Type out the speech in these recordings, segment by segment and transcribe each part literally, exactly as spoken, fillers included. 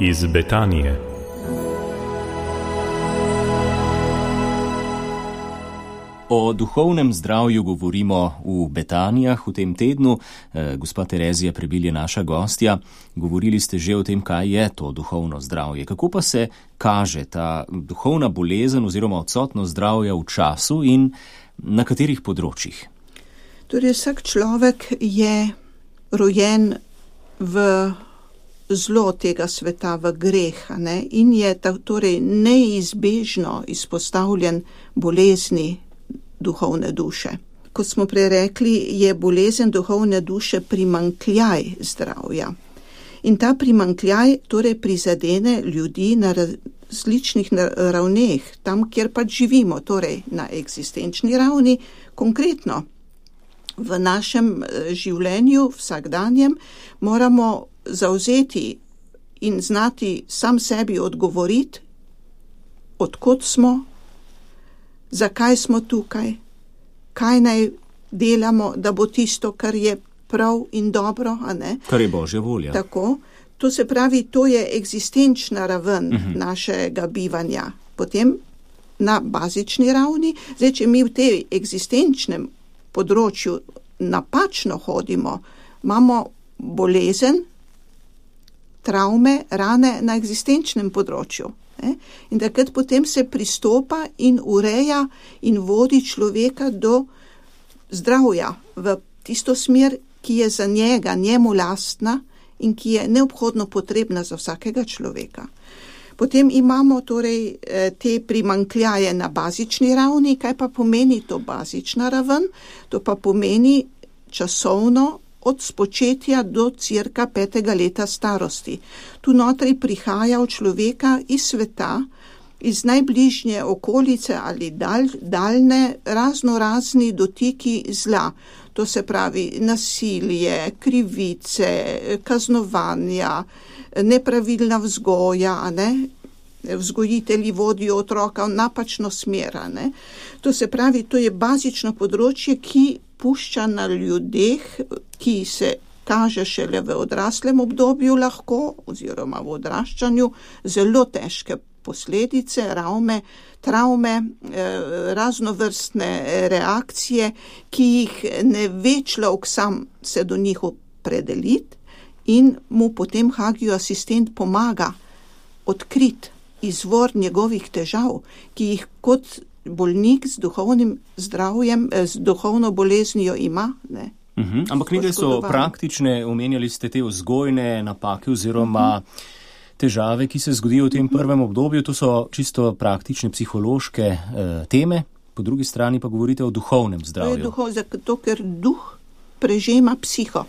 Iz Betanije. O duhovnem zdravju govorimo v Betanijah v tem tednu. E, gospa Terezija Prebil je naša gostja. Govorili ste že o tem, kaj je to duhovno zdravje. Kako pa se kaže ta duhovna bolezen oziroma odsotnost zdravja v času in na katerih področjih? Torej, vsak človek je rojen v zlo tega sveta, v greh, ne? In je torej neizbežno izpostavljen bolezni duhovne duše. Kot smo prej rekli, je bolezen duhovne duše primanjkljaj zdravja. In ta primanjkljaj torej prizadene ljudi na različnih ravneh, tam, kjer pač živimo, torej na eksistenčni ravni, konkretno. V našem življenju, vsakdanjem, moramo zavzeti in znati sam sebi odgovoriti, odkot smo, zakaj smo tukaj, kaj naj delamo, da bo tisto, kar je prav in dobro, a ne? Kar je Božja volja. Tako. To se pravi, to je eksistenčna raven uh-huh. našega bivanja. Potem na bazični ravni, zdaj, če mi v tej eksistenčnem področju napačno hodimo, imamo bolezen, travme, rane na eksistenčnem področju. In takrat potem se pristopa in ureja in vodi človeka do zdravja v tisto smer, ki je za njega, njemu lastna in ki je neobhodno potrebna za vsakega človeka. Potem imamo torej te primanjkljaje na bazični ravni. Kaj pa pomeni to bazična raven? To pa pomeni časovno od spočetja do cirka petega leta starosti. Tu notri prihaja v človeka iz sveta, iz najbližnje okolice ali dalj, daljne razno razni dotiki zla. To se pravi nasilje, krivice, kaznovanja, nepravilna vzgoja, a ne? Vzgojitelji vodijo otroka v napačno smer, a ne? To se pravi, to je bazično področje, ki pušča na ljudeh, ki se kaže šele v odraslem obdobju lahko, oziroma v odraščanju, zelo težke posledice, ravme, travme, raznovrstne reakcije, ki jih ne ve človek sam se do njih opredeliti in mu potem Hagijov asistent pomaga odkriti izvor njegovih težav, ki jih kot bolnik z duhovnim zdravjem, z duhovno boleznijo ima, ne. Uhum, ampak nekaj so praktične, omenjali ste te vzgojne napake oziroma uhum. težave, ki se zgodijo v tem prvem obdobju, to so čisto praktične psihološke eh, teme, po drugi strani pa govorite o duhovnem zdravju. To je duhov, zato ker duh prežema psiho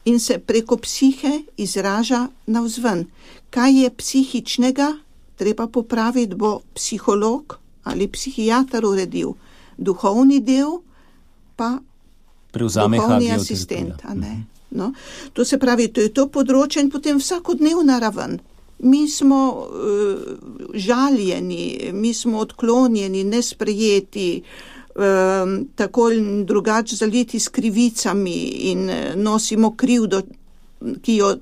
in se preko psihe izraža navzven. Kaj je psihičnega, treba popraviti, bo psiholog ali psihiater uredil. Duhovni del pa prevzame duhovni asistent. A ne? No, to se pravi, to je to področje in potem vsakodnevna raven. Mi smo uh, žaljeni, mi smo odklonjeni, nesprejeti, uh, tako in drugače zaliti s krivicami in nosimo krivdo, ki jo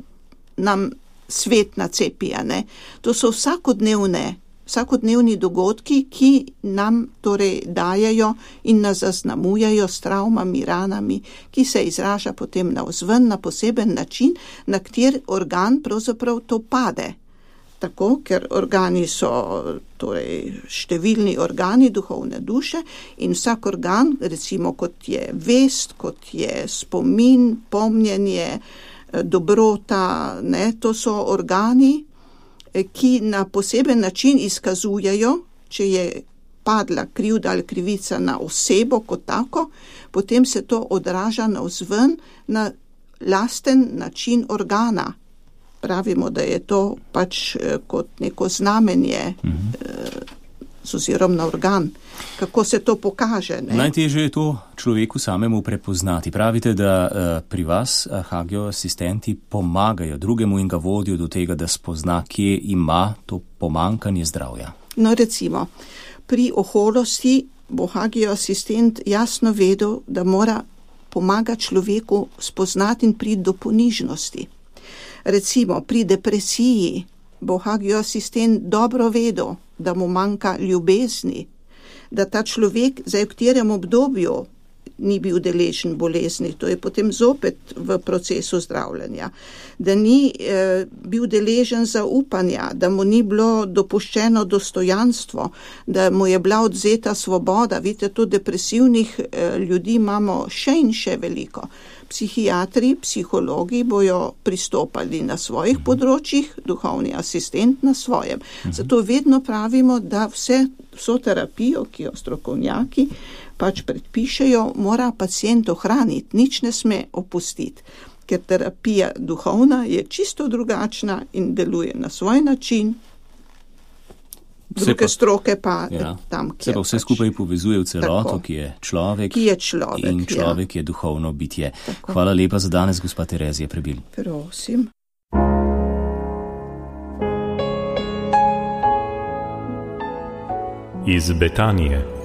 nam svet nacepi, a ne? To so vsakodnevne vsakodnevni dogodki, ki nam torej dajajo in nas zaznamujajo s travmami, ranami, ki se izraža potem navzven na poseben način, na kjer organ pravzaprav to pade. Tako, ker organi so torej številni organi duhovne duše in vsak organ, recimo kot je vest, kot je spomin, pomnjenje, dobrota, ne, to so organi, ki na poseben način izkazujejo, če je padla krivda ali krivica na osebo kot tako, potem se to odraža navzven na lasten način organa. Pravimo, da je to pač kot neko znamenje mm-hmm. z ozirom na organ. Kako se to pokaže? Ne? Najtežje je to človeku samemu prepoznati. Pravite, da uh, pri vas uh, Hagijov asistenti pomagajo drugemu in ga vodijo do tega, da spozna, kje ima to pomanjkanje zdravja. No, recimo, pri oholosti bo Hagijov asistent jasno vedel, da mora pomagati človeku spoznati in priti do ponižnosti. Recimo pri depresiji bo hagioasistent dobro vedel, da mu manjka ljubezni, da ta človek zdaj v katerem obdobju ni bil deležen bolezni, to je potem zopet v procesu zdravljenja, da ni eh, bil deležen zaupanja, da mu ni bilo dopuščeno dostojanstvo, da mu je bila odzeta svoboda. Vidite, to depresivnih eh, ljudi imamo še in še veliko. Psihiatri, psihologi bojo pristopali na svojih področjih, duhovni asistent na svojem. Zato vedno pravimo, da vse, vso terapijo, ki jo strokovnjaki pač predpišejo, mora pacient ohraniti, nič ne sme opustiti, ker terapija duhovna je čisto drugačna in deluje na svoj način, druge pa, stroke pa ja, tam, kjer se pa vse pač skupaj povezuje v celoto, ki je človek, ki je človek in človek ja. je duhovno bitje. Tako. Hvala lepa za danes, gospa Terezija Prebil. Prosim. Iz Betanije